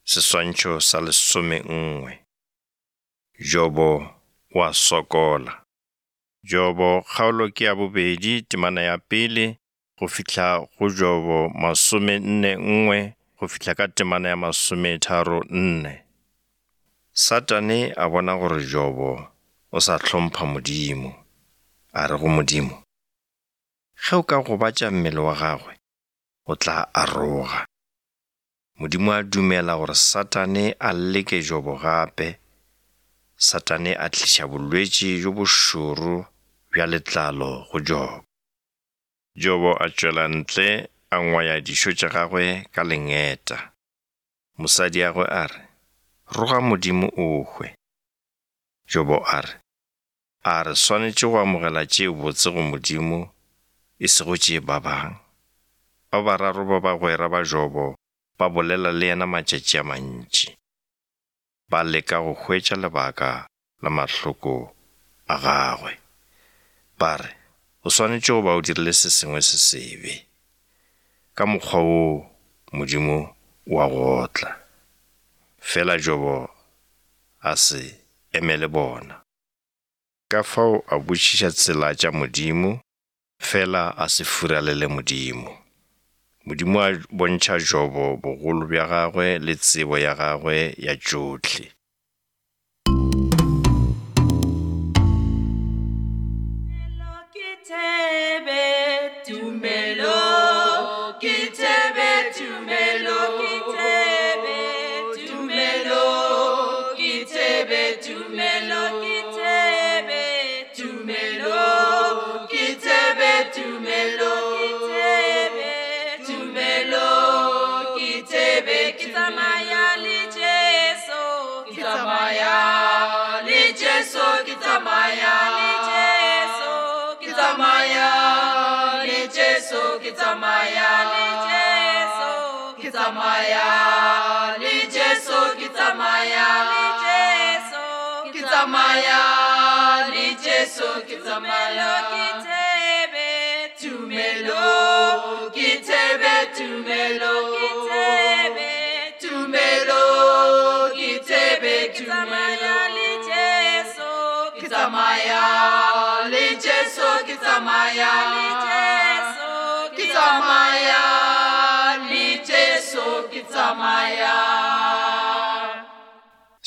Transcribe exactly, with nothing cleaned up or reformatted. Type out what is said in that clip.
Seswantšho sa lesome nngwe. Jobo o a sokola. Jobo kgaolo ke ya bobedi temana ya pele go fihla go Jobo masome nne nngwe go fihla ka temana ya masometharo nne. Satane a bona gore Jobo o sa hlompha Modimo, a re go Modimo, ge o ka gobatša mmele wa gagwe, o tla aroga. Modimo a dumela gore Satane a leke Jobo gape. Satane a tliša bolwetši bjo bošoro bja letlalo go Jobo. Jobo a tšwela ntle a ngwaya dišo tša gagwe ka lengeta. Mosadiagwe a re, roga Modimo o hwe. Jobo a re, a re swanetše go amogela tše botse go Modimo e sego tše babang? Ba bararo ba bagwera ba Jobo ba bolela le yena matšatši a mantši. Ba leka go hwetša lebaka la mahloko a gagwe. Ba re, o swanetše go ba o dirile se sengwe se sebe. Ka mokgwa woo Modimo o a go otla. Fela Jobo a se emele bona. Ka fao a botšiša tsela tša Modimo, fela a se furalele Modimo. Modimo a bontšha Jobo bogolo bja gagwe le tsebo ya gagwe ya tšohle. Tumelo ke thebe, tumelo ke thebe, tumelo ke thebe, tumelo ke thebe, tumelo ke thebe, tumelo ke thebe, tumelo ke thebe, ke tsamaya le Jesu, ke tsamaya le Jesu, ke tsamaya le Jesu, ke tsamaya le Jesu, ke tsamaya le Jesu, ke tsamaya le Jesu, ke tsamaya le Jesu, ke tsamaya le Jesu, ke tsamaya ke thebe, tumelo ke thebe, tumelo ke thebe, tumelo ke thebe, ke tsamaya le Jesu, ke tsamaya le Jesu, ke tsamaya le